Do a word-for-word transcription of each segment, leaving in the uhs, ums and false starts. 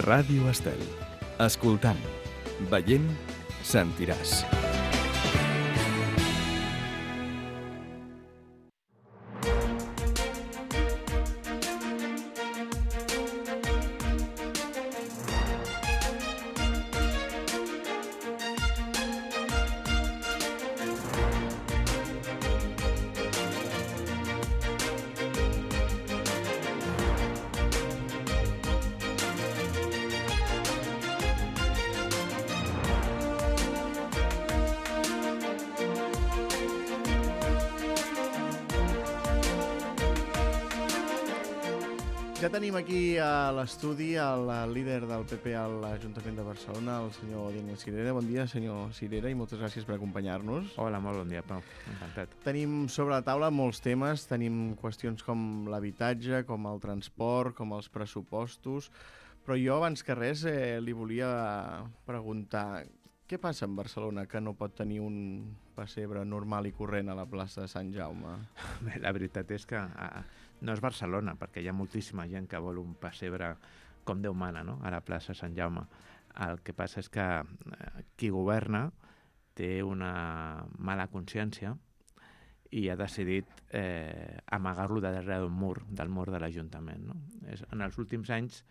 Ràdio Estel. Escoltant, veient, sentiràs. Ja tenim aquí a l'estudi el líder del P P a l'Ajuntament de Barcelona, el senyor Daniel Cirera. Bon dia, senyor Cirera, i moltes gràcies per acompanyar-nos. Hola, molt bon dia, Pau. Encantat. Tenim sobre la taula molts temes. Tenim qüestions com l'habitatge, com el transport, com els pressupostos. Però jo, abans que res, eh, li volia preguntar què passa en Barcelona que no pot tenir un pessebre normal i corrent a la plaça de Sant Jaume? Bé, la veritat és que a, no és Barcelona, perquè hi ha moltíssima gent que vol un pessebre com Déu mana, no?, a la plaça Sant Jaume. El que passa és que eh, qui governa té una mala consciència i ha decidit eh, amagar-lo darrere d'un mur, del mur de l'Ajuntament, no? És, en els últims anys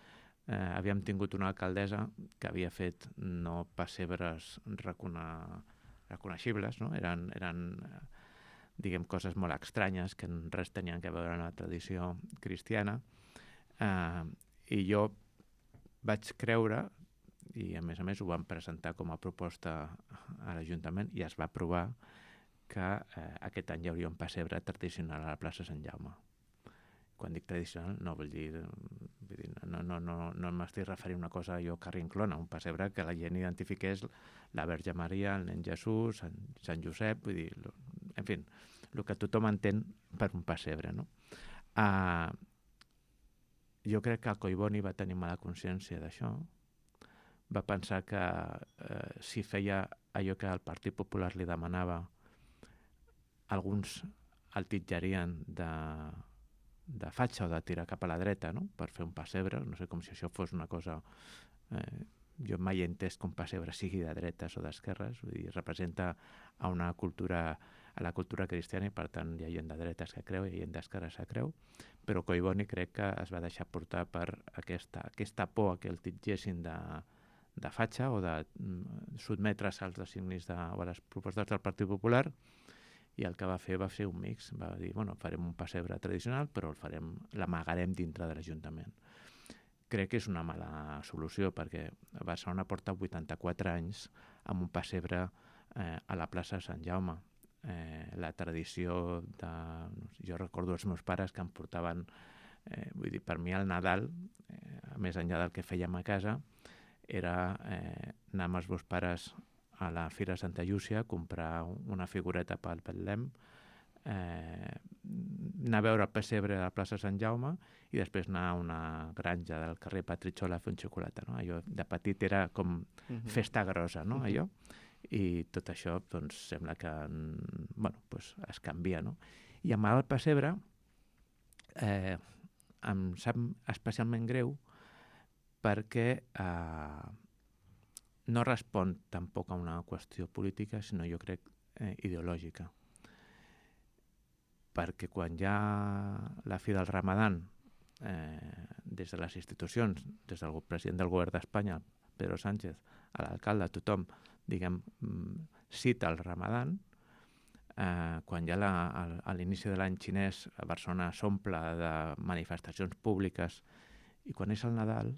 eh, havíem tingut una alcaldessa que havia fet no pessebres recona... reconeixibles, no? Eren, eren diguem, coses molt estranyes que res tenien a veure amb la tradició cristiana. Eh, I jo vaig creure, i a més a més ho vam presentar com a proposta a l'Ajuntament, i es va aprovar que eh, aquest any hi hauria un pessebre tradicional a la plaça Sant Jaume. Quan dic tradicional no vull dir, vull dir no, no, no, no m'estic referint a una cosa jo carrinclona, un pessebre que la gent identifiqués la Verge Maria, el nen Jesús, Sant, Sant Josep, vull dir, en fi, el que tothom entén per un pessebre, no? Uh, jo crec que el Collboni va tenir mala consciència d'això, va pensar que uh, si feia allò que el Partit Popular li demanava, alguns el titjarien de de fatxa o de tirar cap a la dreta, no?, per fer un pessebre. No sé, com si això fos una cosa... Eh, jo mai he entès que un pessebre sigui de dretes o d'esquerres, vull dir, representa a una cultura, a la cultura cristiana, i per tant hi ha gent de dretes que creu i hi ha gent d'esquerres que creu, però Collboni crec que es va deixar portar per aquesta, aquesta por a que el titgessin de, de fatxa o de mm, sotmetre's als designis de, o a les propostes del Partit Popular, i el que va fer va ser un mix. Va dir, bueno, farem un pessebre tradicional, però el farem, l'amagarem dintre de l'Ajuntament. Crec que és una mala solució, perquè Barcelona porta vuitanta-quatre anys amb un pessebre eh, a la plaça Sant Jaume. Eh, la tradició de... Jo recordo els meus pares que em portaven, eh, vull dir, per mi el Nadal, eh, més enllà del que fèiem a casa, era eh, anar amb els meus pares a la Fira de Santa Llúcia, comprar una figureta pel Betlem, eh, anar a veure el pessebre a la plaça Sant Jaume i després anar a una granja del carrer Petritxol a fer un xocolata, no? Allò de petit era com uh-huh. festa grossa, no? Uh-huh. Allò. I tot això, doncs, sembla que bueno, pues es canvia, no? I amb el pessebre eh, em sap especialment greu perquè eh, no respon tampoc a una qüestió política, sinó jo crec eh, ideològica. Perquè quan hi ha la fi del Ramadan, eh, des de les institucions, des del president del govern d'Espanya, Pedro Sánchez, a l'alcalde, tothom, diguem, cita el Ramadan, eh, quan hi ha la, a, a l'inici de l'any xinès a Barcelona s'omple de manifestacions públiques, i quan és el Nadal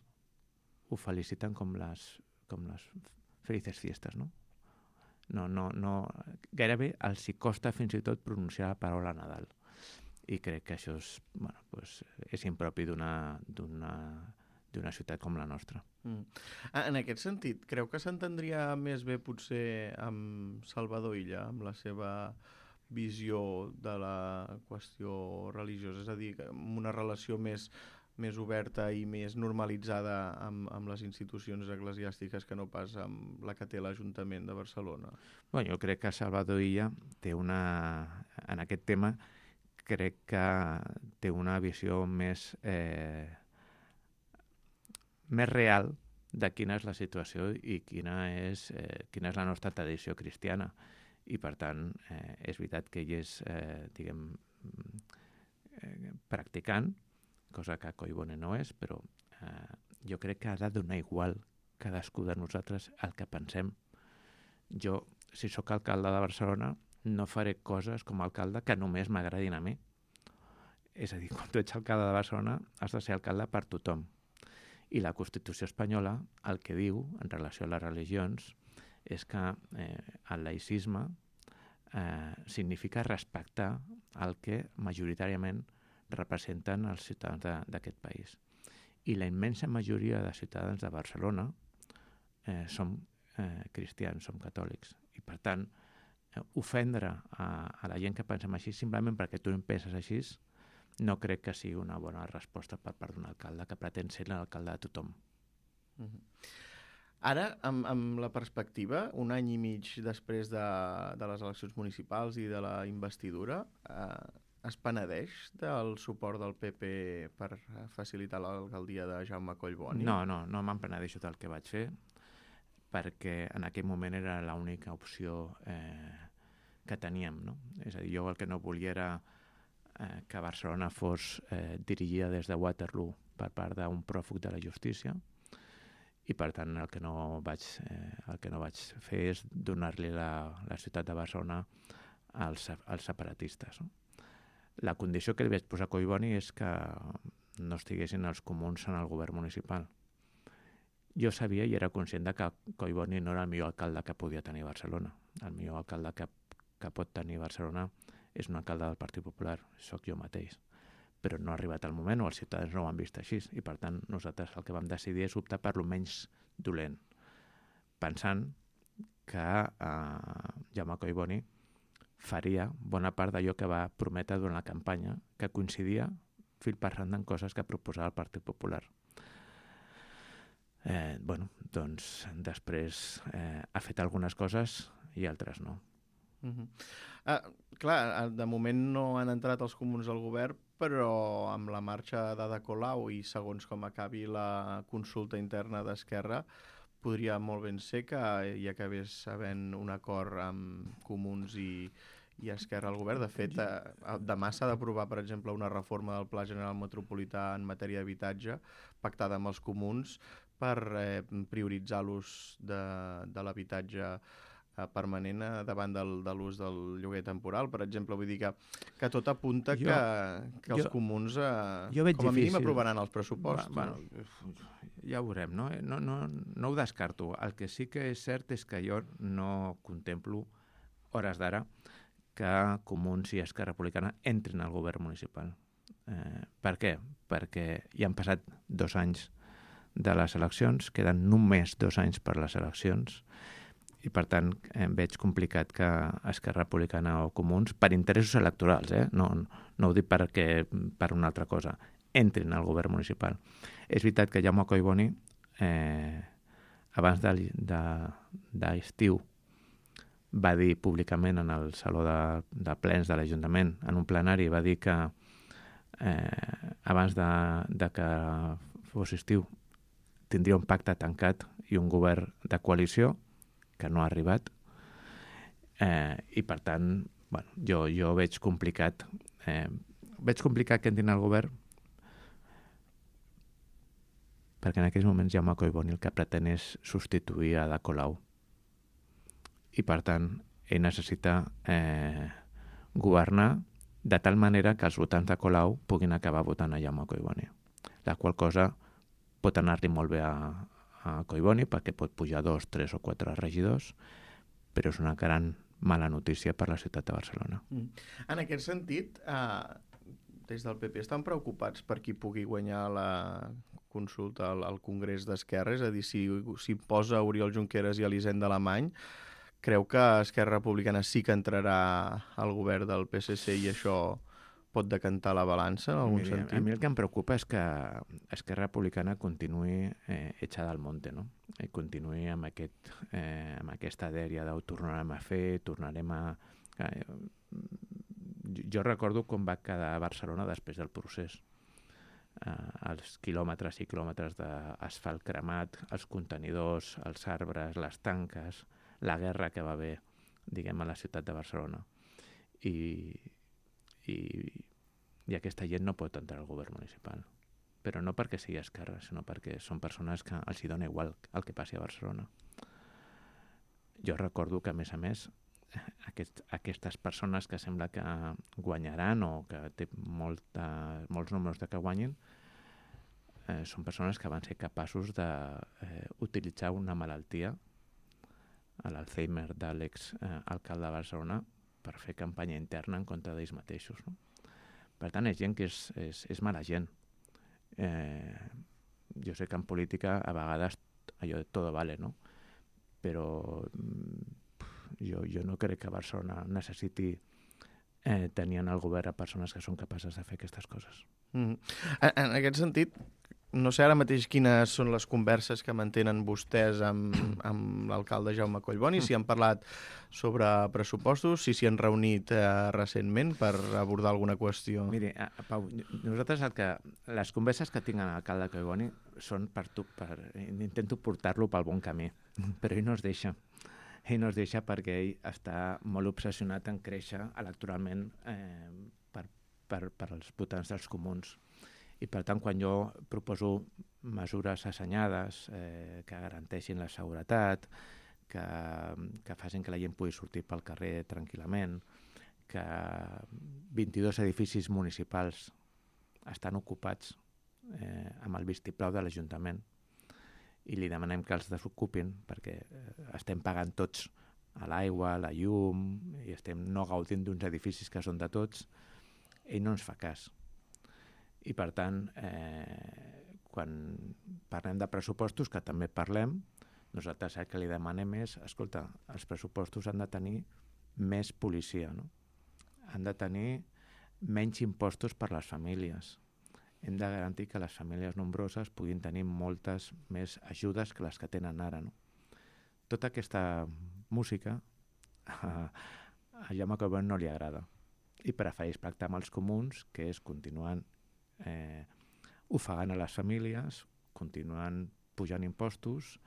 ho feliciten com les com les felices fiestes, no? No, no, no... Gairebé els hi costa fins i tot pronunciar la paraula Nadal. I crec que això és, bueno, pues, és impropi d'una, d'una, d'una ciutat com la nostra. Mm. En aquest sentit, creu que s'entendria més bé potser amb Salvador Illa, amb la seva visió de la qüestió religiosa, és a dir, amb una relació més més oberta i més normalitzada amb, amb les institucions eclesiàstiques que no pas amb la que té l'Ajuntament de Barcelona? Bueno, jo crec que Salvador Illa té una... En aquest tema crec que té una visió més, eh, més real de quina és la situació i quina és, eh, quina és la nostra tradició cristiana. I, per tant, eh, és veritat que ell és, eh, diguem, eh, practicant, cosa que Collboni no és, però eh, jo crec que ha de donar igual cadascú de nosaltres el que pensem. Jo, si sóc alcalde de Barcelona, no faré coses com a alcalde que només m'agradin a mi. És a dir, quan tu ets alcalde de Barcelona, has de ser alcalde per tothom. I la Constitució espanyola el que diu en relació a les religions és que eh, el laïcisme eh, significa respectar el que majoritàriament representen els ciutadans d'aquest país. I la immensa majoria de ciutadans de Barcelona eh, som eh, cristians, som catòlics. I, per tant, eh, ofendre a, a la gent que pensem així simplement perquè tu en penses així no crec que sigui una bona resposta per part d'un alcalde que pretén ser l'alcalde de tothom. Mm-hmm. Ara, amb, amb la perspectiva, un any i mig després de, de les eleccions municipals i de la investidura, eh, es penedeix del suport del P P per facilitar l'alcaldia de Jaume Collboni? No, no, no me'n penedeixo del que vaig fer, perquè en aquell moment era l'única opció eh, que teníem, no? És a dir, jo el que no volia era eh, que Barcelona fos eh, dirigida des de Waterloo per part d'un pròfug de la justícia, i per tant el que no vaig, eh, el que no vaig fer és donar-li la, la ciutat de Barcelona als, als separatistes. No? La condició que li vaig posar a Collboni és que no estiguessin els comuns en el govern municipal. Jo sabia i era conscient de que Collboni no era el millor alcalde que podia tenir Barcelona. El millor alcalde que, que pot tenir Barcelona és un alcalde del Partit Popular, sóc jo mateix. Però no ha arribat el moment, o els ciutadans no ho han vist així, i per tant nosaltres el que vam decidir és optar per lo menys dolent, pensant que eh, Jaume Collboni faria bona part d'allò que va prometre durant la campanya, que coincidia fil per randa en coses que proposava el Partit Popular. Eh, bueno, doncs després eh, ha fet algunes coses i altres no. Uh-huh. Ah, clar, de moment no han entrat els comuns al govern, però amb la marxa d'Ada Colau i segons com acabi la consulta interna d'Esquerra, podria molt ben ser que hi acabés havent un acord amb comuns i, i Esquerra al govern. De fet, eh, demà s'ha d'aprovar, per exemple, una reforma del Pla General Metropolità en matèria d'habitatge pactada amb els comuns per eh, prioritzar l'ús de, de l'habitatge permanent davant del, de l'ús del lloguer temporal, per exemple. Vull dir que, que tot apunta jo, que, que els jo, comuns eh, com a difícil. mínim aprovaran els pressupostos. Va, bueno, ja ho veurem, no? No, no? no ho descarto. El que sí que és cert és que jo no contemplo, hores d'ara, que Comuns i Esquerra Republicana entrin al govern municipal. Eh, per què? Perquè ja han passat dos anys de les eleccions, queden només dos anys per les eleccions, i per tant em veig complicat que Esquerra Republicana o Comuns, per interessos electorals, eh? no, no ho dic perquè, per una altra cosa, entrin al govern municipal. És veritat que Jaume Collboni, eh, abans de, de, d'estiu, va dir públicament en el Saló de, de Plens de l'Ajuntament, en un plenari, va dir que eh, abans de, de que fos estiu tindria un pacte tancat i un govern de coalició, que no ha arribat, eh, i per tant, bueno, jo, jo veig complicat, eh, veig complicat que entrin al govern, perquè en aquells moments Jaume Collboni el que pretén és substituir a Ada Colau, i per tant, ell necessita eh, governar de tal manera que els votants de Colau puguin acabar votant a Jaume Collboni, la qual cosa pot anar-li molt bé a a Collboni perquè pot pujar dos, tres o quatre regidors, però és una gran mala notícia per la ciutat de Barcelona. Mm. En aquest sentit, eh, des del P P estan preocupats per qui pugui guanyar la consulta al, al Congrés d'Esquerra, és a dir, si, si posa Oriol Junqueras i Elisenda Alemany, creu que Esquerra Republicana sí que entrarà al govern del P S C i això pot decantar la balança en algun Mira, sentit? A mi el que em preocupa és que Esquerra Republicana continuï eh, echada al monte, no? I continuï amb, aquest, eh, amb aquesta dèria d'ho tornarem a fer, tornarem a... Eh, jo recordo com va quedar Barcelona després del procés. eh, els quilòmetres i quilòmetres d'asfalt cremat, els contenidors, els arbres, les tanques, la guerra que va haver, diguem, a la ciutat de Barcelona. I, i, i aquesta gent no pot entrar al govern municipal. Però no perquè sigui esquerra, sinó perquè són persones que els hi dona igual el que passi a Barcelona. Jo recordo que, a més a més, aquest, aquestes persones que sembla que guanyaran o que té molta, molts números de que guanyin, eh, són persones que van ser capaços d'utilitzar eh, una malaltia, l'Alzheimer de l'ex-alcalde de Barcelona, per fer campanya interna en contra d'ells mateixos. No? Per tant, és gent que és, és, és mala gent. Eh, jo sé que en política a vegades allò de todo vale, no? Però jo, jo no crec que Barcelona necessiti eh, tenir en el govern a persones que són capaces de fer aquestes coses. Mm. En, en aquest sentit, no sé ara mateix quines són les converses que mantenen vostès amb, amb l'alcalde Jaume Collboni, si han parlat sobre pressupostos, si s'hi han reunit eh, recentment per abordar alguna qüestió. Miri, a, a Pau, nosaltres el que, les converses que tinc amb l'alcalde Collboni són per tu, per, intento portar-lo pel bon camí, però ell no es deixa. Ell no es deixa perquè ell està molt obsessionat en créixer electoralment eh, per, per, per als votants dels comuns. I per tant, quan jo proposo mesures assenyades eh, que garanteixin la seguretat, que, que facin que la gent pugui sortir pel carrer tranquil·lament, que vint-i-dos edificis municipals estan ocupats eh, amb el vistiplau de l'Ajuntament i li demanem que els desocupin perquè eh, estem pagant tots a l'aigua, a la llum, i estem no gaudint d'uns edificis que són de tots, ell no ens fa cas. I per tant, eh, quan parlem de pressupostos, que també parlem, nosaltres el que li demanem és, escolta, els pressupostos han de tenir més policia, no? Han de tenir menys impostos per les famílies. Hem de garantir que les famílies nombroses puguin tenir moltes més ajudes que les que tenen ara, no? Tota aquesta música a, a Jaume Collboni no li agrada i prefereix pactar amb els comuns, que és continuant eh, ofegant a les famílies, continuant pujant impostos,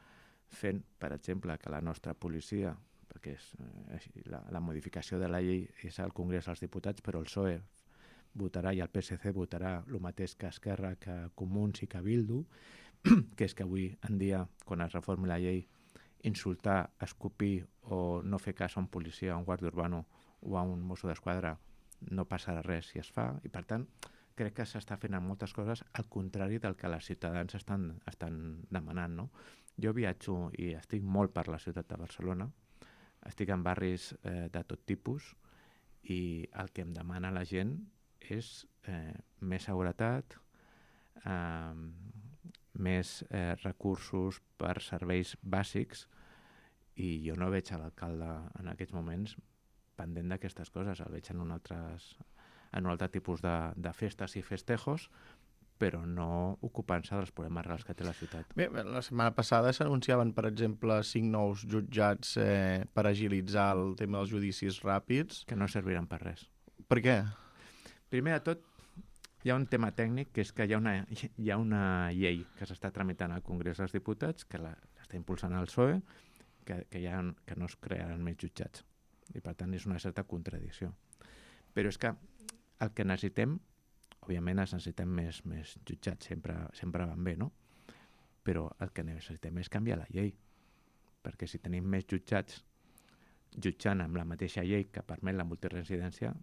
fent, per exemple, que la nostra policia, perquè és, eh, la, la modificació de la llei és al Congrés dels Diputats, però el P S O E votarà i el P S C votarà el mateix que Esquerra, que Comuns i que Bildu, que és que avui en dia, quan es reformi la llei, insultar, escopir o no fer cas a un policia, a un guàrdia urbano o a un mosso d'esquadra no passarà res si es fa, i per tant crec que s'està fent en moltes coses al contrari del que els ciutadans estan, estan demanant, no? Jo viatjo i estic molt per la ciutat de Barcelona, estic en barris eh, de tot tipus i el que em demana la gent és eh, més seguretat, eh, més eh, recursos per serveis bàsics, i jo no veig a l'alcalde en aquests moments pendent d'aquestes coses, el veig en un, altres, en un altre tipus de, de festes i festejos, però no ocupant-se dels problemes reals que té la ciutat. Bé, la setmana passada s'anunciaven, per exemple, cinc nous jutjats eh, per agilitzar el tema dels judicis ràpids. Que no serviran per res. Per què? Primer de tot, hi ha un tema tècnic, que és que hi ha una, hi ha una llei que s'està tramitant al Congrés dels Diputats, que l'està impulsant el P S O E, que, que, ha, que no es crearan més jutjats. I per tant és una certa contradicció. Però és que el que necessitem, òbviament es necessitem més, més jutjats, sempre, sempre van bé, no? Però el que necessitem és canviar la llei, perquè si tenim més jutjats jutjant amb la mateixa llei que permet la multiresidència,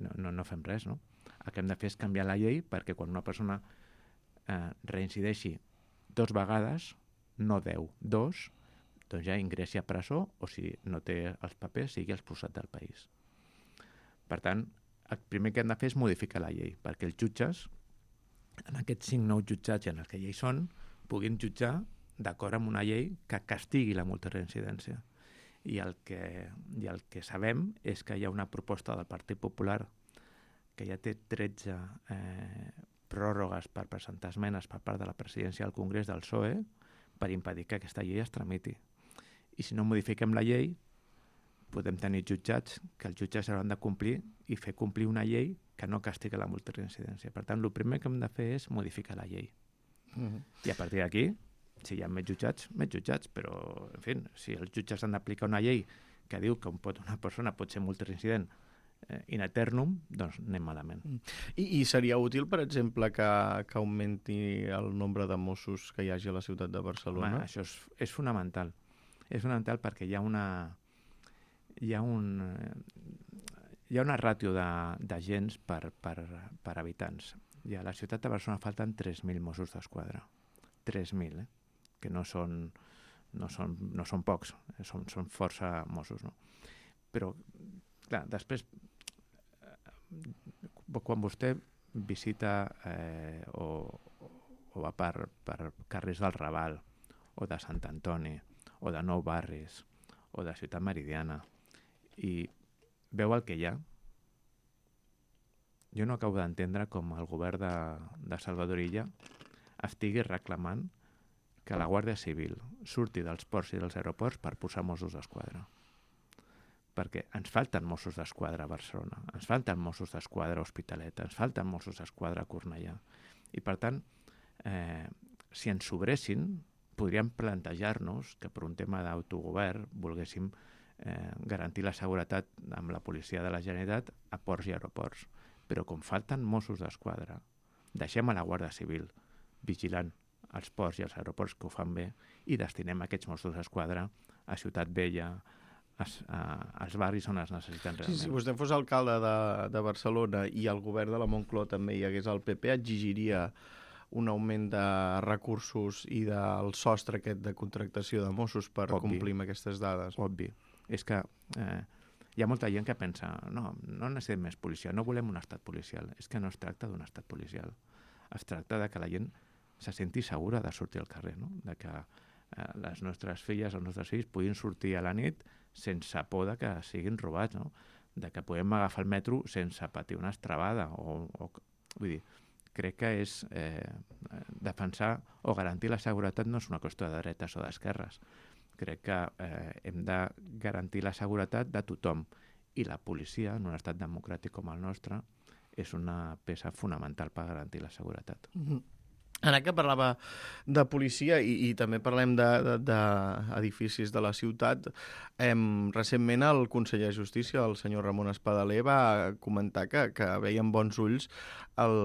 no, no, no fem res, no? El que hem de fer és canviar la llei perquè quan una persona eh, reincideixi dos vegades, no deu, dos, doncs ja ingressi a presó o si no té els papers sigui expulsat del país. Per tant, el primer que hem de fer és modificar la llei perquè els jutges, en aquests cinc nous jutjats en els que ja hi són, puguin jutjar d'acord amb una llei que castigui la multireincidència. I el que, i el que sabem és que hi ha una proposta del Partit Popular que ja té tretze eh, pròrrogues per presentar esmenes per part de la presidència del Congrés del P S O E per impedir que aquesta llei es tramiti. I si no modifiquem la llei, podem tenir jutjats que els jutges hauran de complir i fer complir una llei que no castiga la multireincidència. Per tant, el primer que hem de fer és modificar la llei. Uh-huh. I a partir d'aquí, si hi ha més jutjats, més jutjats, però, en fi, si els jutges han d'aplicar una llei que diu que un pot, una persona pot ser multireincident eh, in eternum, doncs anem malament. I, I seria útil, per exemple, que, que augmenti el nombre de Mossos que hi hagi a la ciutat de Barcelona? Home, això és, és fonamental. És fonamental perquè hi ha una hi ha un hi ha una ràtio d'agents per, per, per habitants. I a la ciutat de Barcelona falten tres mil Mossos d'Esquadra. tres mil, eh? Que no són, no són, no són pocs, eh? són, són força Mossos, no? Però, clar, després, quan vostè visita eh, o, o va per, per carrers del Raval, o de Sant Antoni, o de Nou Barris, o de Ciutat Meridiana, i veu el que hi ha, jo no acabo d'entendre com el govern de, de Salvador Illa estigui reclamant que la Guàrdia Civil surti dels ports i dels aeroports per posar Mossos d'Esquadra. Perquè ens falten Mossos d'Esquadra a Barcelona, ens falten Mossos d'Esquadra a Hospitalet, ens falten Mossos d'Esquadra a Cornellà. I per tant, eh, si ens sobressin, podríem plantejar-nos que per un tema d'autogovern volguéssim eh, garantir la seguretat amb la policia de la Generalitat a ports i aeroports. Però com falten Mossos d'Esquadra, deixem a la Guàrdia Civil vigilant els ports i els aeroports que ho fan bé i destinem aquests Mossos d'Esquadra a Ciutat Vella, a, a, als barris on es necessiten realment. Sí, si vostè fos alcalde de, de Barcelona i el govern de la Moncloa també hi hagués el P P, exigiria un augment de recursos i del sostre aquest de contractació de Mossos per Obvi. complir amb aquestes dades. Obvi. És que eh, hi ha molta gent que pensa no, no necessitem més policia, no volem un estat policial. És que no es tracta d'un estat policial. Es tracta de que la gent se senti segura de sortir al carrer, no? De que eh, les nostres filles, els nostres fills puguin sortir a la nit sense por de que siguin robats, no? De que podem agafar el metro sense patir una estrabada. O, o, vull dir, crec que és eh, defensar o garantir la seguretat no és una qüestió de dretes o d'esquerres. Crec que eh, hem de garantir la seguretat de tothom i la policia, en un estat democràtic com el nostre, és una peça fonamental per garantir la seguretat. Mm-hmm. Ara que parlava de policia i, i també parlem d'edificis de, de, de la ciutat, eh, recentment el conseller de Justícia, el senyor Ramon Espadaler, va comentar que, que veia amb bons ulls el,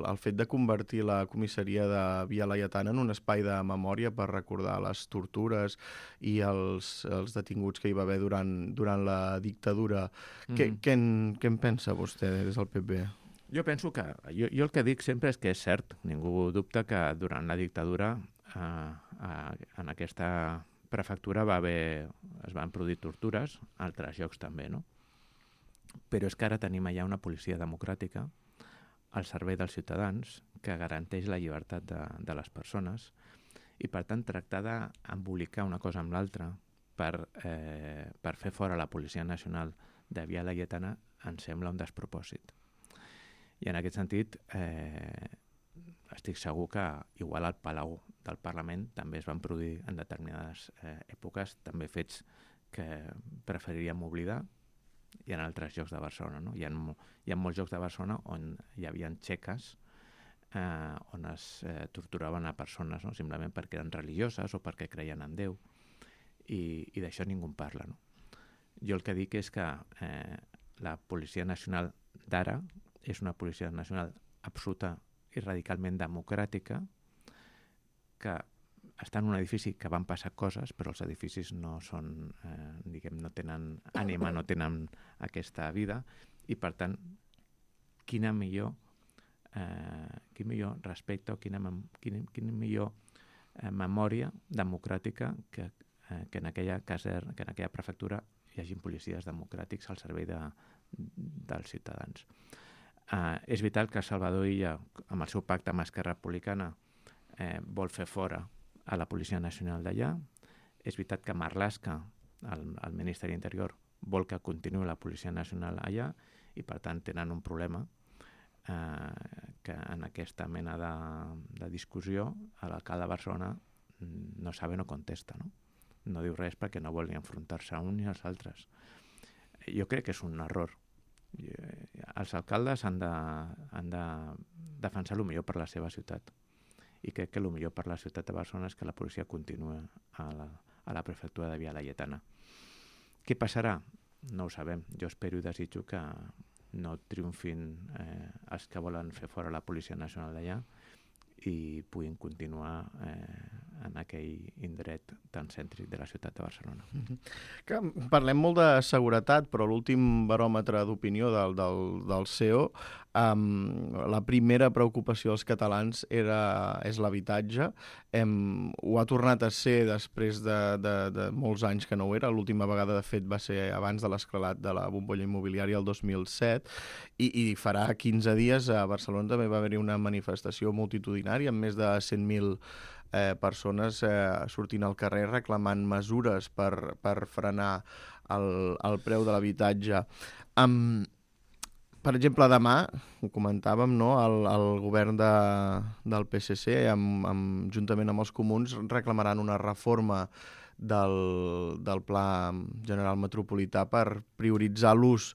el fet de convertir la comissaria de Via Laietana en un espai de memòria per recordar les tortures i els, els detinguts que hi va haver durant, durant la dictadura. Mm. Què, què, en, què en pensa vostè des del P P? Jo penso que, jo, jo el que dic sempre és que és cert, ningú dubta que durant la dictadura eh, eh, en aquesta prefectura va haver, es van produir tortures, altres llocs també, no? Però és que ara tenim allà una policia democràtica al servei dels ciutadans que garanteix la llibertat de, de les persones i per tant tractar d'embolicar una cosa amb l'altra per, eh, per fer fora la Policia Nacional de Via Laietana em sembla un despropòsit. I en aquest sentit, eh, estic segur que igual al Palau del Parlament també es van produir en determinades eh, èpoques també fets que preferiríem oblidar i en altres llocs de Barcelona. No? Hi ha, hi ha molts llocs de Barcelona on hi havia txeques eh, on es eh, torturaven a persones, no? Simplement perquè eren religioses o perquè creien en Déu i, i d'això ningú en parla. No? Jo el que dic és que eh, la Policia Nacional d'ara és una policia nacional absoluta i radicalment democràtica que està en un edifici que van passar coses, però els edificis no són, eh, diguem, no tenen ànima, no tenen aquesta vida i per tant, quina millor eh, quin millor respecte o quina, quina, quina millor eh, memòria democràtica que, eh, que en aquella caser, que en aquella prefectura hi hagi policies democràtics al servei de, dels ciutadans. Uh, és vital que Salvador Illa, amb el seu pacte amb Esquerra Republicana, eh, vol fer fora a la Policia Nacional d'allà. És veritat que Marlaska, el, el ministre de l'Interior, vol que continuï la Policia Nacional allà i, per tant, tenen un problema eh, que en aquesta mena de, de discussió l'alcalde de Barcelona no sabe, no contesta, no? No diu res perquè no vol ni enfrontar-se a un ni als altres. jo crec que és un error. Els alcaldes han de, han de defensar el millor per la seva ciutat. I crec que el millor per la ciutat de Barcelona és que la policia continuï a la, a la prefectura de Via Laietana. Què passarà? No ho sabem. Jo espero i desitjo que no triomfin eh, els que volen fer fora la Policia Nacional d'allà i puguin continuar eh, en aquell indret tan cèntric de la ciutat de Barcelona. Que parlem molt de seguretat, però l'últim baròmetre d'opinió del, del, del C E O, um, la primera preocupació dels catalans era, és l'habitatge. Hem, ho ha tornat a ser després de, de, de molts anys que no ho era. L'última vegada, de fet, va ser abans de l'esclatat de la bombolla immobiliària el dos mil set, i, i farà quinze dies a Barcelona també va haver-hi una manifestació multitudinària amb més de cent mil eh, persones eh, sortint al carrer reclamant mesures per, per frenar el, el preu de l'habitatge. Um, per exemple, demà, ho comentàvem, no? el, el govern de, del P S C, amb, amb, juntament amb els comuns, reclamaran una reforma del, del Pla General Metropolità per prioritzar l'ús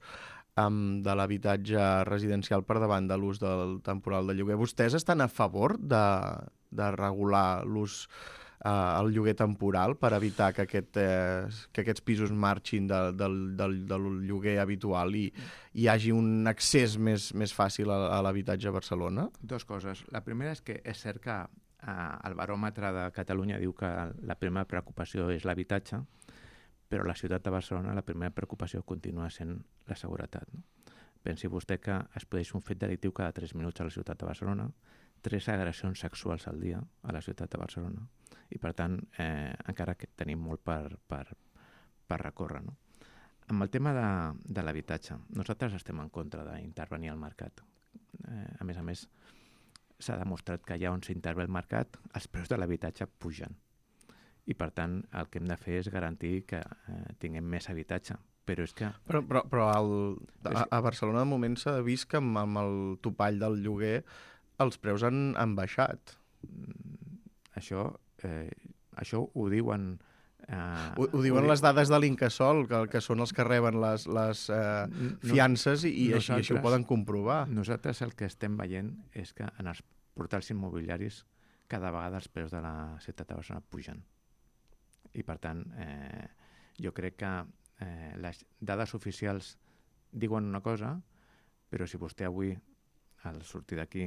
Um, de l'habitatge residencial per davant de l'ús del temporal de lloguer. Vostès estan a favor de, de regular l'ús, uh, el lloguer temporal per evitar que, aquest, eh, que aquests pisos marxin de, del, del, del lloguer habitual i hi hagi un accés més, més fàcil a, a l'habitatge a Barcelona? Dos coses. La primera és que és cert que uh, el baròmetre de Catalunya diu que la primera preocupació és l'habitatge, però a la ciutat de Barcelona la primera preocupació continua sent la seguretat. No? Pensi vostè que es produeix un fet delictiu cada tres minuts a la ciutat de Barcelona, tres agressions sexuals al dia a la ciutat de Barcelona, i per tant eh, encara que tenim molt per, per, per recórrer. No? Amb el tema de, de l'habitatge, nosaltres estem en contra d'intervenir al mercat. Eh, a més a més, s'ha demostrat que allà on s'intervé el mercat, els preus de l'habitatge pugen. I, per tant, el que hem de fer és garantir que eh, tinguem més habitatge. Però és que... Però, però, però el, a, a Barcelona, de moment, s'ha vist que amb, amb el topall del lloguer els preus han, han baixat. Això, eh, això ho diuen... Eh, ho, ho diuen ho les dades de l'Incasòl, que, que són els que reben les, les eh, fiances, i, i, així, i així ho poden comprovar. Nosaltres el que estem veient és que en els portals immobiliaris cada vegada els preus de la ciutat de Barcelona pugen. I, per tant, eh, jo crec que eh, les dades oficials diuen una cosa, però si vostè avui, al sortir d'aquí,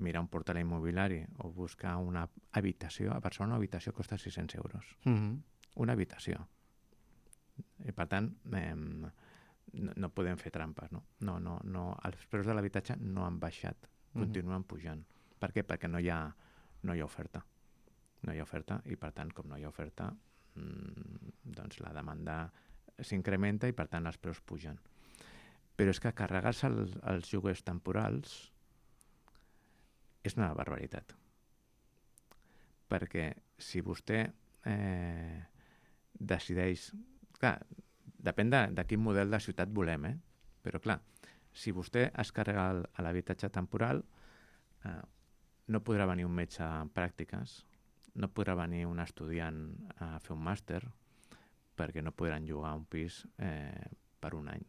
mira un portal immobiliari o busca una habitació, a Barcelona una habitació costa sis-cents euros. Mm-hmm. Una habitació. I, per tant, eh, no, no podem fer trampes, no? No, no, no. Els preus de l'habitatge no han baixat, continuen mm-hmm. pujant. Per què? Perquè no hi ha, no hi ha oferta. No hi ha oferta i, per tant, com no hi ha oferta, doncs la demanda s'incrementa i, per tant, els preus pugen. Però és que carregar-se el, els lloguers temporals és una barbaritat. Perquè si vostè eh, decideix... Clar, depèn de, de quin model de ciutat volem, eh? Però, clar, si vostè es carrega el, a l'habitatge temporal, eh, no podrà venir un metge en pràctiques, no podrà venir un estudiant a fer un màster perquè no podran llogar un pis eh, per un any.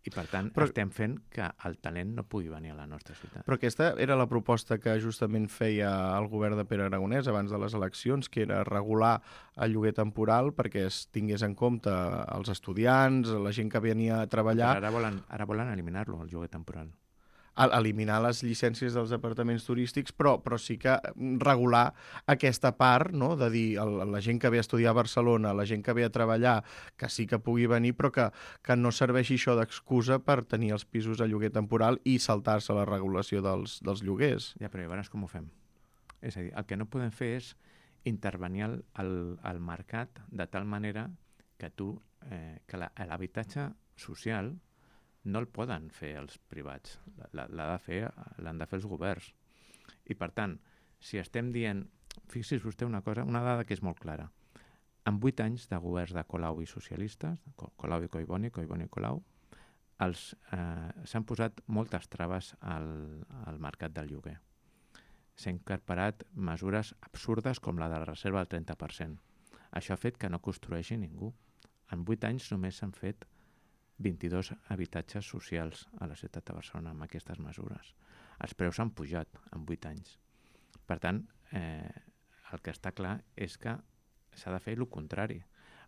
I, per tant, però, estem fent que el talent no pugui venir a la nostra ciutat. Però aquesta era la proposta que justament feia el govern de Pere Aragonès abans de les eleccions, que era regular el lloguer temporal perquè es tingués en compte els estudiants, la gent que venia a treballar... Però ara volen, ara volen eliminar-lo, el lloguer temporal. Eliminar les llicències dels apartaments turístics, però, però sí que regular aquesta part, no? De dir el, la gent que ve a estudiar a Barcelona, la gent que ve a treballar, que sí que pugui venir, però que, que no serveixi això d'excusa per tenir els pisos a lloguer temporal i saltar-se la regulació dels, dels lloguers. Ja, però llavors com ho fem? És a dir, el que no podem fer és intervenir al, al, al mercat de tal manera que tu, eh, que l'habitatge social no el poden fer els privats, l'ha de fer, l'han de fer els governs. I, per tant, si estem dient... Fixi's vostè una cosa, una dada que és molt clara. En vuit anys de governs de Colau i socialistes, Colau i Collboni, Collboni i Colau, els, eh, s'han posat moltes traves al, al mercat del lloguer. S'han incorporat mesures absurdes com la de la reserva del trenta per cent. Això ha fet que no construeixi ningú. En vuit anys només s'han fet vint-i-dos habitatges socials a la ciutat de Barcelona amb aquestes mesures. Els preus han pujat en vuit anys. Per tant, eh, el que està clar és que s'ha de fer el contrari.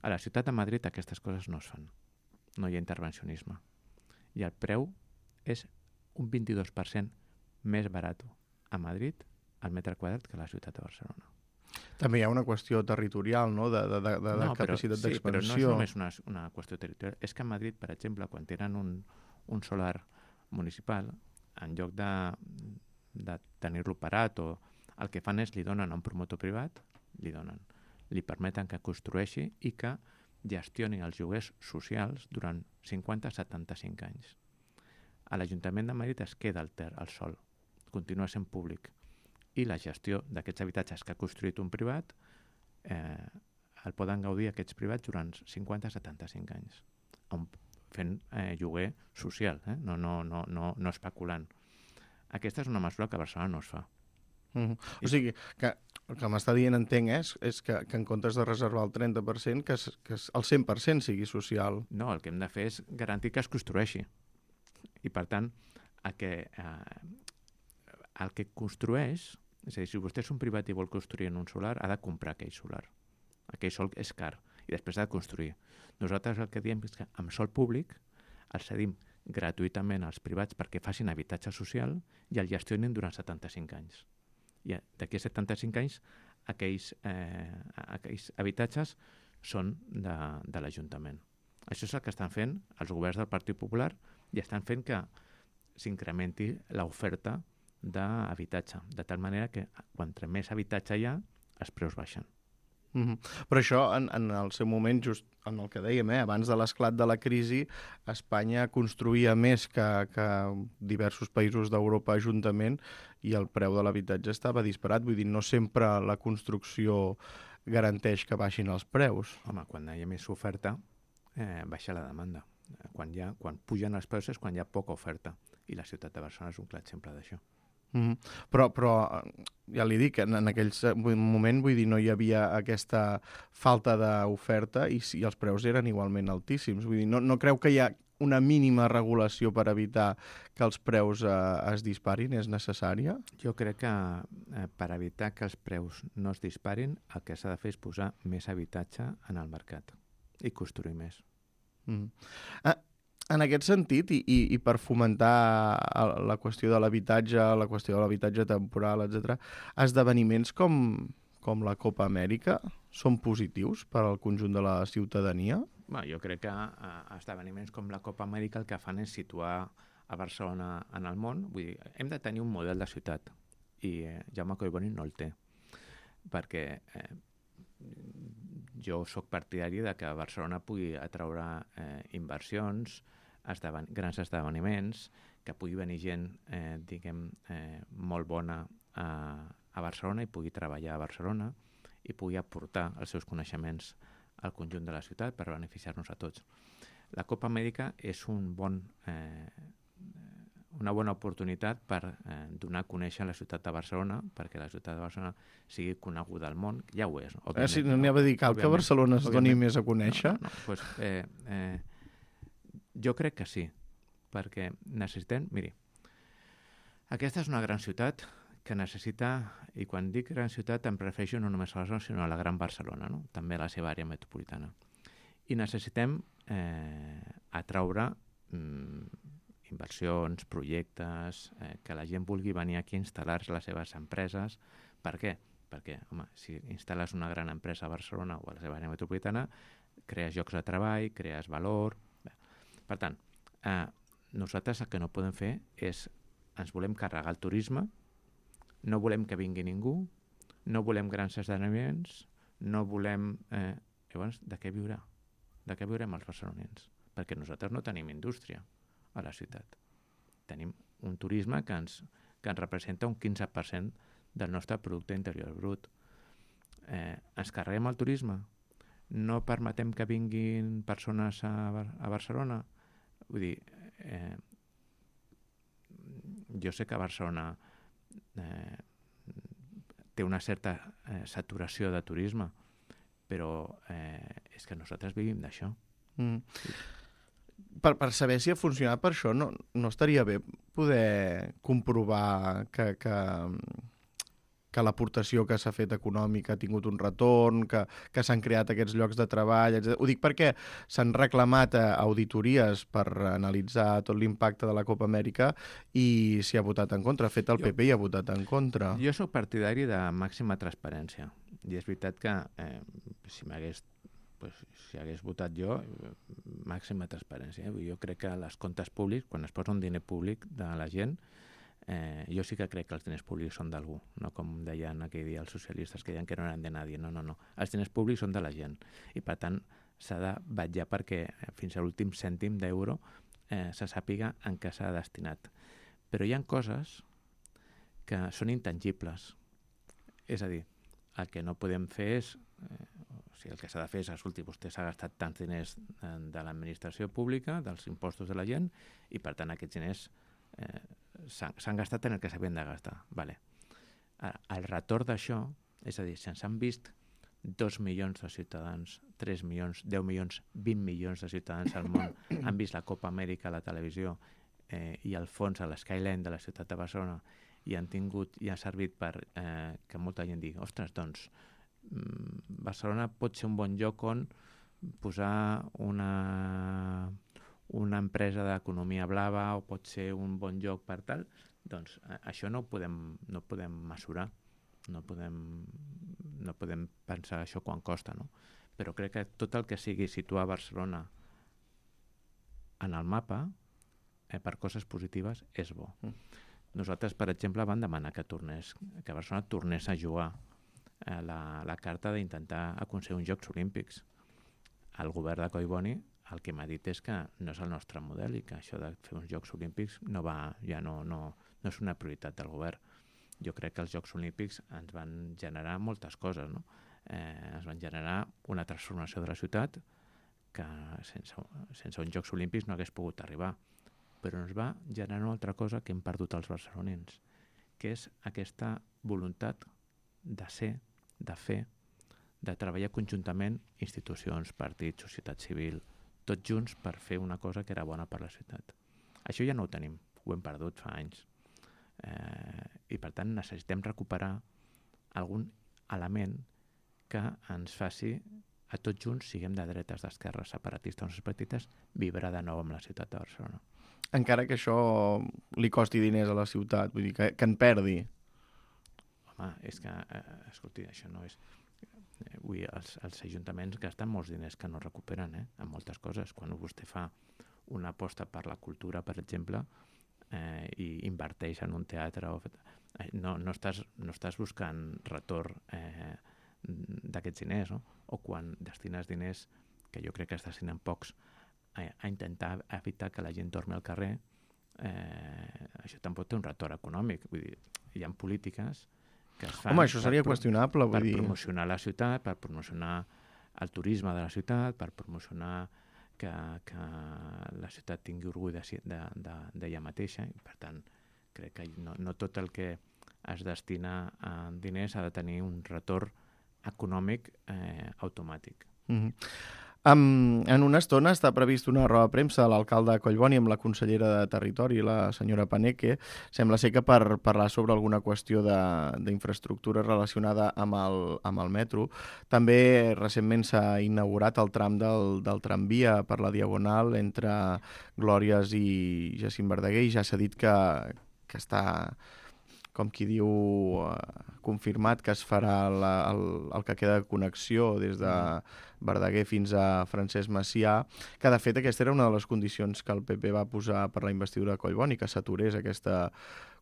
A la ciutat de Madrid aquestes coses no es fan. No hi ha intervencionisme. I el preu és un vint-i-dos per cent més barat a Madrid al metre quadrat que a la ciutat de Barcelona. També hi ha una qüestió territorial, no?, de, de, de, de no, capacitat però, d'expansió. Sí, però no és només una, una qüestió territorial. És que a Madrid, per exemple, quan tenen un, un solar municipal, en lloc de, de tenir-lo parat, o el que fan és li donen a un promotor privat, li donen, li permeten que construeixi i que gestioni els lloguers socials durant cinquanta a setanta-cinc anys. A l'Ajuntament de Madrid es queda el ter, el sol, continua sent públic, i la gestió d'aquests habitatges que ha construït un privat eh, el poden gaudir aquests privats durant cinquanta a setanta-cinc anys, on, fent eh, lloguer social, eh? no, no, no, no, no especulant. Aquesta és una mesura que a Barcelona no es fa. Mm-hmm. O sigui, que el que m'està dient, entenc, és, és que, que en comptes de reservar el trenta per cent, que, es, que el cent per cent sigui social. No, el que hem de fer és garantir que es construeixi. I, per tant, el que, eh, el que construeix, és a dir, si vostè és un privat i vol construir en un solar, ha de comprar aquell solar. Aquell sol és car i després ha de construir. Nosaltres el que diem és que amb sol públic el cedim gratuïtament als privats perquè facin habitatge social i el gestionin durant setanta-cinc anys. I d'aquí a setanta-cinc anys aquells, eh, aquells habitatges són de, de l'Ajuntament. Això és el que estan fent els governs del Partit Popular i estan fent que s'incrementi l'oferta d'habitatge, de tal manera que quan més habitatge hi ha, els preus baixen. Mm-hmm. Però això, en, en el seu moment, just en el que dèiem, eh, abans de l'esclat de la crisi, Espanya construïa més que, que diversos països d'Europa juntament i el preu de l'habitatge estava disparat. Vull dir, no sempre la construcció garanteix que baixin els preus. Home, quan hi ha més oferta, eh, baixa la demanda. Quan, hi ha, quan pugen els preus és quan hi ha poca oferta. I la ciutat de Barcelona és un clar exemple d'això. Mm-hmm. Però, però ja li dic, en, en aquell moment vull dir, no hi havia aquesta falta d'oferta i, i els preus eren igualment altíssims. Vull dir, no, no creu que hi ha una mínima regulació per evitar que els preus eh, es disparin? És necessària? Jo crec que eh, per evitar que els preus no es disparin, el que s'ha de fer és posar més habitatge en el mercat i construir més. Mm-hmm. Ah, en aquest sentit, i, i, i per fomentar la qüestió de l'habitatge, la qüestió de l'habitatge temporal, etcètera, esdeveniments com, com la Copa Amèrica són positius per al conjunt de la ciutadania? Bé, jo crec que eh, esdeveniments com la Copa Amèrica el que fan és situar a Barcelona en el món. Vull dir, hem de tenir un model de ciutat i eh, Jaume Collboni no el té, perquè eh, jo sóc partidari de que Barcelona pugui atraure eh, inversions, esdeven grans esdeveniments, que pugui venir gent, eh, diguem, eh, molt bona a, a Barcelona i pugui treballar a Barcelona i pugui aportar els seus coneixements al conjunt de la ciutat per beneficiar-nos a tots. La Copa Amèrica és un bon, eh, una bona oportunitat per eh, donar a conèixer la ciutat de Barcelona, perquè la ciutat de Barcelona sigui coneguda al món. Ja ho és, òbviament. Eh, sí, no n'hi ha de dir, cal que Barcelona es doni més a conèixer? No, no, pues, eh, eh, jo crec que sí, perquè necessitem... Miri, aquesta és una gran ciutat que necessita, i quan dic gran ciutat em refereixo no només a Barcelona, sinó a la gran Barcelona, no? També a la seva àrea metropolitana. I necessitem eh, atraure mm, inversions, projectes, eh, que la gent vulgui venir aquí a instal·lar-se les seves empreses. Per què? Perquè, home, si instal·les una gran empresa a Barcelona o a la seva àrea metropolitana, crees llocs de treball, crees valor... Per tant, eh, nosaltres el que no podem fer és, ens volem carregar el turisme, no volem que vingui ningú, no volem grans esdeveniments, no volem... Eh, llavors, de què viurà? De què viurem els barcelonins? Perquè nosaltres no tenim indústria a la ciutat. Tenim un turisme que ens, que ens representa un quinze per cent del nostre producte interior brut. Eh, ens carreguem el turisme? No permetem que vinguin persones a, a Barcelona? Vull dir, eh, jo sé que Barcelona eh, té una certa eh, saturació de turisme, però eh, és que nosaltres vivim d'això. Mm. per, per saber si ha funcionat per això, no, no estaria bé poder comprovar que, que, que l'aportació que s'ha fet econòmica ha tingut un retorn, que, que s'han creat aquests llocs de treball, etcètera. Ho dic perquè s'han reclamat auditories per analitzar tot l'impacte de la Copa Amèrica i s'hi ha votat en contra. De fet, el P P hi ha votat en contra. Jo sóc partidari de màxima transparència. I és veritat que eh, si m'hagués pues, si hagués votat jo, màxima transparència. Eh? Jo crec que els comptes públics, quan es posa un diner públic de la gent, Eh, jo sí que crec que els diners públics són d'algú, no com deien aquell dia els socialistes que deien que no eren de nadie. No, no, no. Els diners públics són de la gent i, per tant, s'ha de vetllar perquè fins a l'últim cèntim d'euro eh, se sàpiga en què s'ha destinat. Però hi ha coses que són intangibles. És a dir, el que no podem fer és... Eh, o sigui, el que s'ha de fer és, escolti, vostè s'ha gastat tants diners de, de l'administració pública, dels impostos de la gent, i, per tant, aquests diners eh, s'han gastat en el que s'havien de gastar. Vale. Ara, el retorn d'això, és a dir, si ens han vist dos milions de ciutadans, tres milions, deu milions, vint milions de ciutadans al món han vist la Copa Amèrica a la televisió eh, i al fons a l'Skyline de la ciutat de Barcelona i han tingut i ha servit per eh, que molta gent digui, ostres, doncs, Barcelona pot ser un bon lloc on posar una... una empresa d'economia blava o pot ser un bon lloc per tal, doncs això no ho podem, no podem mesurar, no podem, no podem pensar això quan costa, no? Però crec que tot el que sigui situar Barcelona en el mapa eh, per coses positives és bo. Mm. Nosaltres, per exemple, vam demanar que tornés, que Barcelona tornés a jugar eh, la, la carta d'intentar aconseguir uns Jocs Olímpics. El govern de Collboni el que m'ha dit és que no és el nostre model i que això de fer uns Jocs Olímpics no va, ja no, no, no és una prioritat del govern. Jo crec que els Jocs Olímpics ens van generar moltes coses, no? Eh, ens van generar una transformació de la ciutat que sense, sense uns Jocs Olímpics no hagués pogut arribar. Però ens va generar una altra cosa que hem perdut els barcelonins, que és aquesta voluntat de ser, de fer, de treballar conjuntament institucions, partits, societat civil, tots junts per fer una cosa que era bona per la ciutat. Això ja no ho tenim, ho hem perdut fa anys. Eh, I per tant necessitem recuperar algun element que ens faci a tots junts, siguem de dretes, d'esquerres, separatistes o no separatistes, vibrar de nou amb la ciutat de Barcelona. Encara que això li costi diners a la ciutat, vull dir, que, que en perdi. Home, és que, eh, escolti, això no és... Ui, els, els ajuntaments gasten molts diners que no recuperen, eh? En moltes coses. Quan vostè fa una aposta per la cultura, per exemple, eh, i inverteix en un teatre, o, eh, no, no, estàs, no estàs buscant retorn eh, d'aquests diners, no? O quan destines diners, que jo crec que es destinen pocs, a, a intentar evitar que la gent dormi al carrer, eh, això tampoc té un retorn econòmic. Vull dir, hi ha polítiques que es fan. Home, això seria per, qüestionable, per vull dir... promocionar la ciutat, per promocionar el turisme de la ciutat, per promocionar que, que la ciutat tingui orgull d'ella de, de, de mateixa. I, per tant, crec que no, no tot el que es destina a diners ha de tenir un retorn econòmic eh, automàtic. Mm-hmm. Um, en una estona està previst una roda de premsa de l'alcalde de Collboni amb la consellera de Territori, la senyora Paneque. Sembla ser que per parlar sobre alguna qüestió d'infraestructura relacionada amb el, amb el metro. També recentment s'ha inaugurat el tram del, del tramvia per la Diagonal entre Glòries i Jacint Verdaguer i ja s'ha dit que, que està, com qui diu, uh, confirmat que es farà la, el, el que queda de connexió des de Verdaguer fins a Francesc Macià, que de fet aquesta era una de les condicions que el P P va posar per la investidura de Collboni, que s'aturés aquesta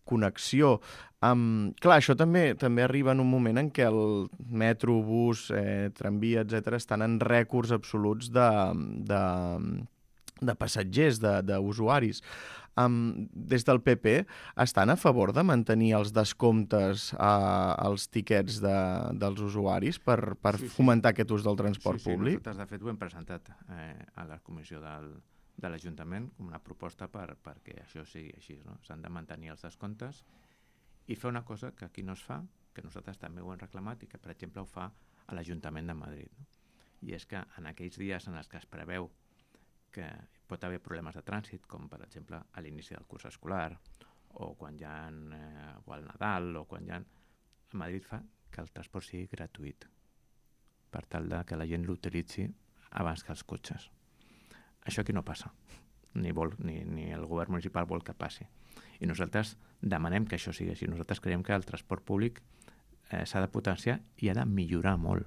connexió. Um, clar, això també també arriba en un moment en què el metro, bus, eh, tramvia, etcètera, estan en rècords absoluts de, de, de passatgers, d'usuaris. Um, des del P P estan a favor de mantenir els descomptes uh, als tiquets de, dels usuaris per, per sí, sí. fomentar aquest ús del transport sí, sí, públic? Nosaltres, de fet, ho hem presentat eh, a la comissió del, de l'Ajuntament com una proposta per, perquè això sigui així, no? S'han de mantenir els descomptes i fer una cosa que aquí no es fa, que nosaltres també ho hem reclamat i que, per exemple, ho fa a l'Ajuntament de Madrid, no? I és que en aquells dies en els que es preveu que pot haver problemes de trànsit, com per exemple a l'inici del curs escolar, o quan hi ha eh, o al Nadal, o quan hi ha... A Madrid fa que el transport sigui gratuït, per tal de que la gent l'utilitzi abans que els cotxes. Això aquí no passa, ni, vol, ni, ni el govern municipal vol que passi. I nosaltres demanem que això sigui així. Nosaltres creiem que el transport públic eh, s'ha de potenciar i ha de millorar molt.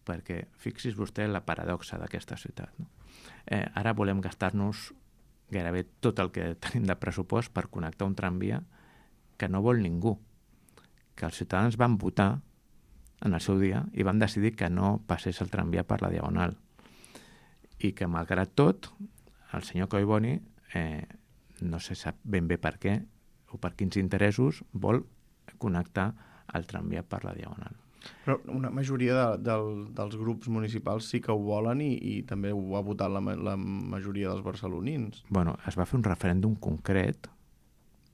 Perquè fixis vostè la paradoxa d'aquesta ciutat. No? Eh, ara volem gastar-nos gairebé tot el que tenim de pressupost per connectar un tramvia que no vol ningú. Que els ciutadans van votar en el seu dia i van decidir que no passés el tramvia per la Diagonal. I que, malgrat tot, el senyor Collboni, eh, no se sap ben bé per què o per quins interessos, vol connectar el tramvia per la Diagonal. Però una majoria de, del, dels grups municipals sí que ho volen i, i també ho ha votat la, la majoria dels barcelonins. Bueno, es va fer un referèndum concret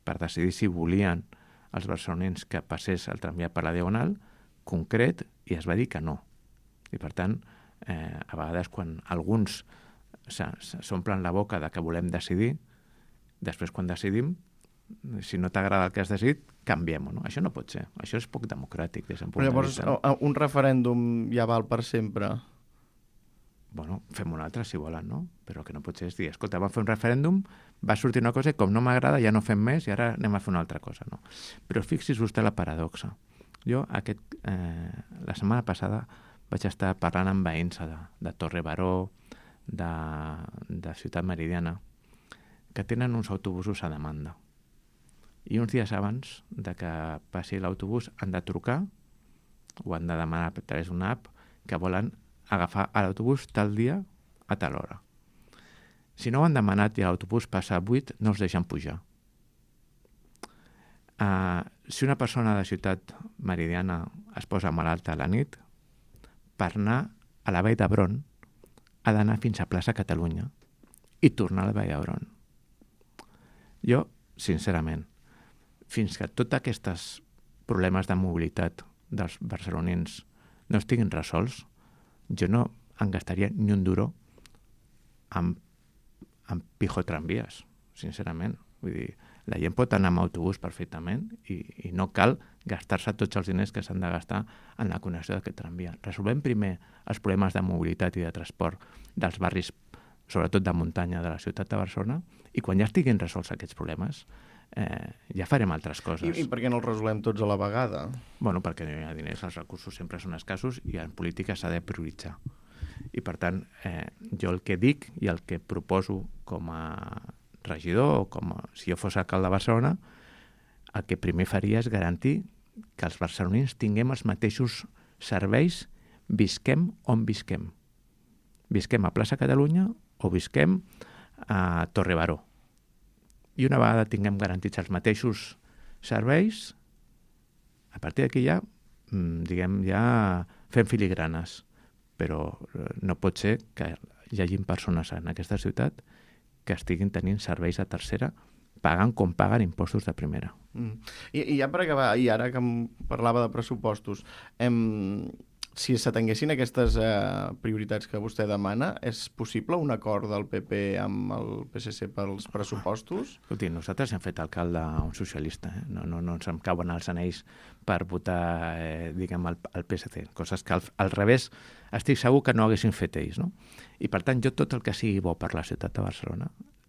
per decidir si volien els barcelonins que passés el tramvia per la Diagonal, concret, i es va dir que no. I per tant, eh, a vegades quan alguns s'omplen la boca de que volem decidir, després quan decidim, si no t'agrada el que has decidit, canviem-ho, no? Això no pot ser. Això és poc democràtic des d'un punt Però llavors, de vista. un referèndum ja val per sempre? Bueno, fem un altre si volen, no? Però el que no pot ser és dir, escolta, vam fer un referèndum, va sortir una cosa i com no m'agrada ja no fem més i ara anem a fer una altra cosa, no? Però fixis vostè la paradoxa. Jo, aquest, eh, la setmana passada vaig estar parlant amb veïns de, de Torre Baró, de, de Ciutat Meridiana, que tenen uns autobusos a demanda. I uns dies abans de que passi l'autobús han de trucar o han de demanar a través d'una app que volen agafar l'autobús tal dia a tal hora. Si no ho han demanat i l'autobús passa a vuit, no els deixen pujar. Uh, si una persona de Ciutat Meridiana es posa malalta a la nit, per anar a la Vall d'Hebron ha d'anar fins a plaça Catalunya i tornar a la Vall d'Hebron. Jo, sincerament, fins que tots aquests problemes de mobilitat dels barcelonins no estiguin resolts, jo no em gastaria ni un duro amb, amb pijotramvies, sincerament. Vull dir, la gent pot anar amb autobús perfectament i, i no cal gastar-se tots els diners que s'han de gastar en la connexió d'aquest tramvia. Resolvem primer els problemes de mobilitat i de transport dels barris, sobretot de muntanya de la ciutat de Barcelona, i quan ja estiguin resolts aquests problemes, eh, ja farem altres coses. I, I per què no els resolem tots a la vegada? Bueno, perquè no hi ha diners, els recursos sempre són escassos i en política s'ha de prioritzar. I per tant, eh, jo el que dic i el que proposo com a regidor o com a, si jo fos alcalde de Barcelona, el que primer faria és garantir que els barcelonins tinguem els mateixos serveis, visquem on visquem. Visquem a plaça Catalunya o visquem a Torre Baró. I una vegada tinguem garantits els mateixos serveis, a partir d'aquí ja, diguem, ja fem filigranes. Però no pot ser que hi hagi persones en aquesta ciutat que estiguin tenint serveis de tercera pagant com paguen impostos de primera. Mm. I, I ja per acabar, i ara que em parlava de pressupostos, em, si s'atenguessin aquestes eh, prioritats que vostè demana, és possible un acord del P P amb el P S C pels pressupostos? Escolti, nosaltres hem fet alcalde un socialista, eh? no, no, no ens en cauen els anells per votar, eh, diguem, el, el P S C, coses que al, al revés estic segur que no haguessin fet ells, no? I per tant, jo tot el que sigui bo per la ciutat de Barcelona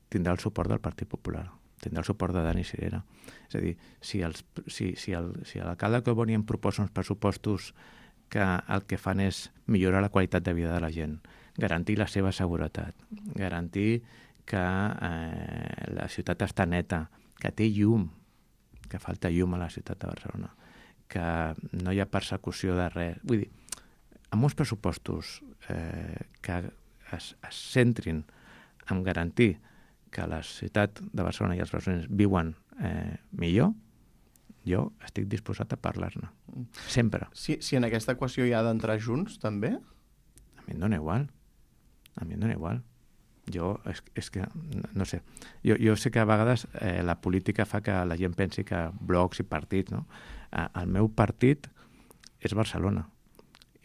tindrà el suport del Partit Popular, tindrà el suport de Dani Sirera. És a dir, si, els, si, si, el, si l'alcalde Collboni em proposa uns pressupostos que el que fan és millorar la qualitat de vida de la gent, garantir la seva seguretat, garantir que eh, la ciutat està neta, que té llum, que falta llum a la ciutat de Barcelona, que no hi ha persecució de res. Vull dir, amb uns pressupostos eh, que es, es centrin en garantir que la ciutat de Barcelona i els barcelonins viuen eh, millor, jo estic disposat a parlar-ne. Sempre. Si, si en aquesta equació hi ha d'entrar junts, també? A mi em dóna igual. A mi em dóna igual. Jo, és, és que, no sé, jo, jo sé que a vegades eh, la política fa que la gent pensi que blocs i partits, no? Eh, el meu partit és Barcelona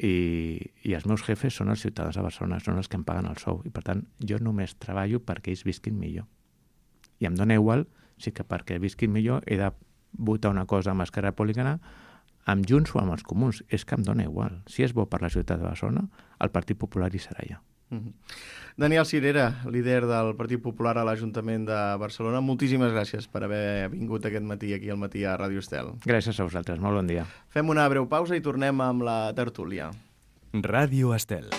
i, i els meus jefes són els ciutadans de Barcelona, són els que em paguen el sou, i per tant jo només treballo perquè ells visquin millor. I em dóna igual si que perquè visquin millor he de votar una cosa amb Esquerra Republicana, amb Junts o amb els Comuns. És que em dóna igual. Si és bo per la ciutat de Barcelona, el Partit Popular hi serà allà. Mm-hmm. Daniel Cirera, líder del Partit Popular a l'Ajuntament de Barcelona, moltíssimes gràcies per haver vingut aquest matí aquí al matí a Ràdio Estel. Gràcies a vosaltres, molt bon dia. Fem una breu pausa i tornem amb la tertúlia. Ràdio Estel.